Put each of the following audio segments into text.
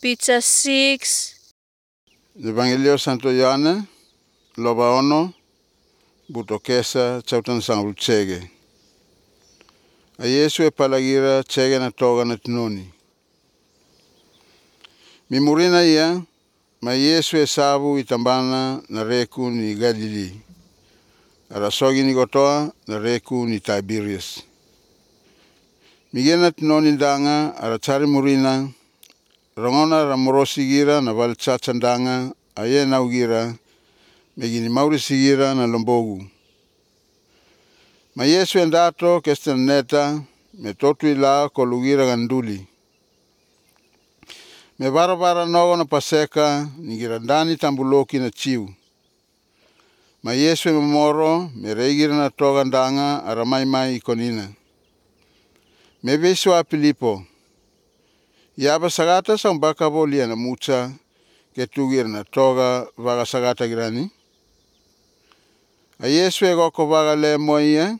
Pizza 6. Evangelio Santo Ioane, loba ono, buto kesa chautan sang chege. A Yesu e palagira chege na toga na tinoni. Mimurina ia, ma Yesu e sabu itambana na reku ni Galili. Arasogi ni gotoa na reku ni Tiberias. Migena tinoni danga arachari murina, rongona ramorosigira na valchachandanga aye na ugira, megini maurisigira na lombogu. Ma Yesu endato kesten neta, me totu ila kolugira ganduli. Me bara nogo na paseka, nigira ndani tambuloki na chiu. Ma Yesu memoro, me reigira na toga ndanga aramaimai ikonina. Me beswa Filipo. Yaba sagata sa mbaka bolia na mucha, ketugira na toga vaga sagata girani. A Yesu e goko vaga le moia,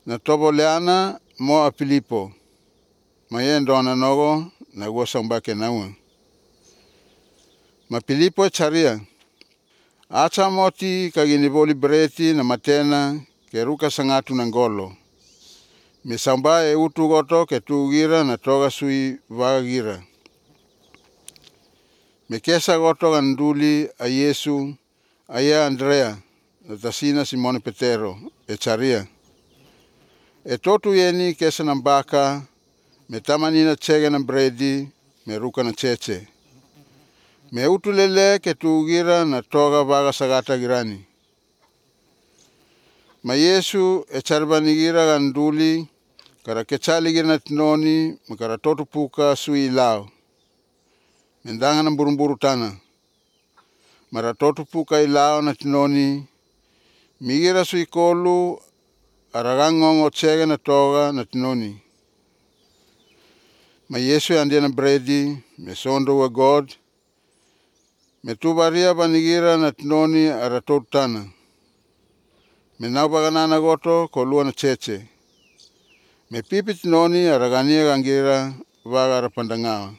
na tobo leana mo a Filipo. Ma yendona nogo na gosa mbake naua. Ma Filipo e charia. Acha moti kagini boli breti na matena ke ruka sangatu na ngolo. Me samba e utu goto ke tugira na toga sui vaga gira. Me kesa goto ganduli a Yesu aya Andrea na tasina Simone Petero e charia. E totu yeni kesa nambaka me tamani na chege na bredi me ruka na cheche. Me utu lele ke tugira na toga vaga sagata girani. Ma Yesu e charbanigira ganduli kara kechali gira na tinoni me kara totu puka sui lao. Mendanga na burumburu tana. Mara totu puka ilao na tinoni migira sui kolu aragangongo chege na toga na tinoni. Ma Yesu e andia na bredi me sondo wa God. Me tubaria banigira na tinoni aratotu tana. Me naubaganana goto kolua na cheche. Me pipi tinoni aragania gangira vaga arapandangawa.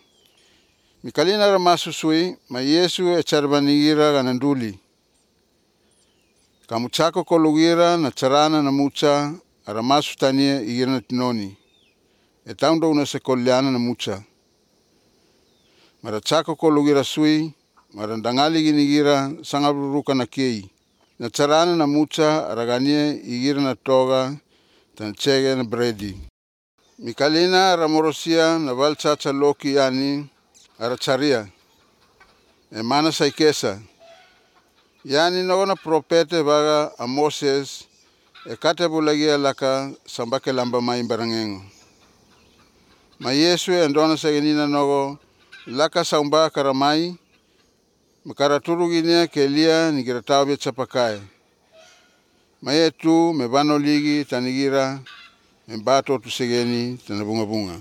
Mikalina ramasusui ma Yesu e charbanigira gananduli. Kamuchako kolugira na charana na mucha aramasu tania igira na tinoni. E taundo una se koliana na mucha. Mara chako kolugira sui, mara ndangali ginigira sangaburuka na kei. Na charana na mucha aragania igira na toga tan chege na bredi. Mikalina ramorosia na valchacha loki yani aracharia. E mana saikesa. Yani nogona propete vaga a Moses e kate bulagia laka sambake lamba mai barangengo. Ma Yesu e ndona segenina nogo laka samba karamai makaraturu ginia kelia nigiratau be chapakai. Ma yetu me bano ligi tanigira me bato tu segeni tanabunga bunga.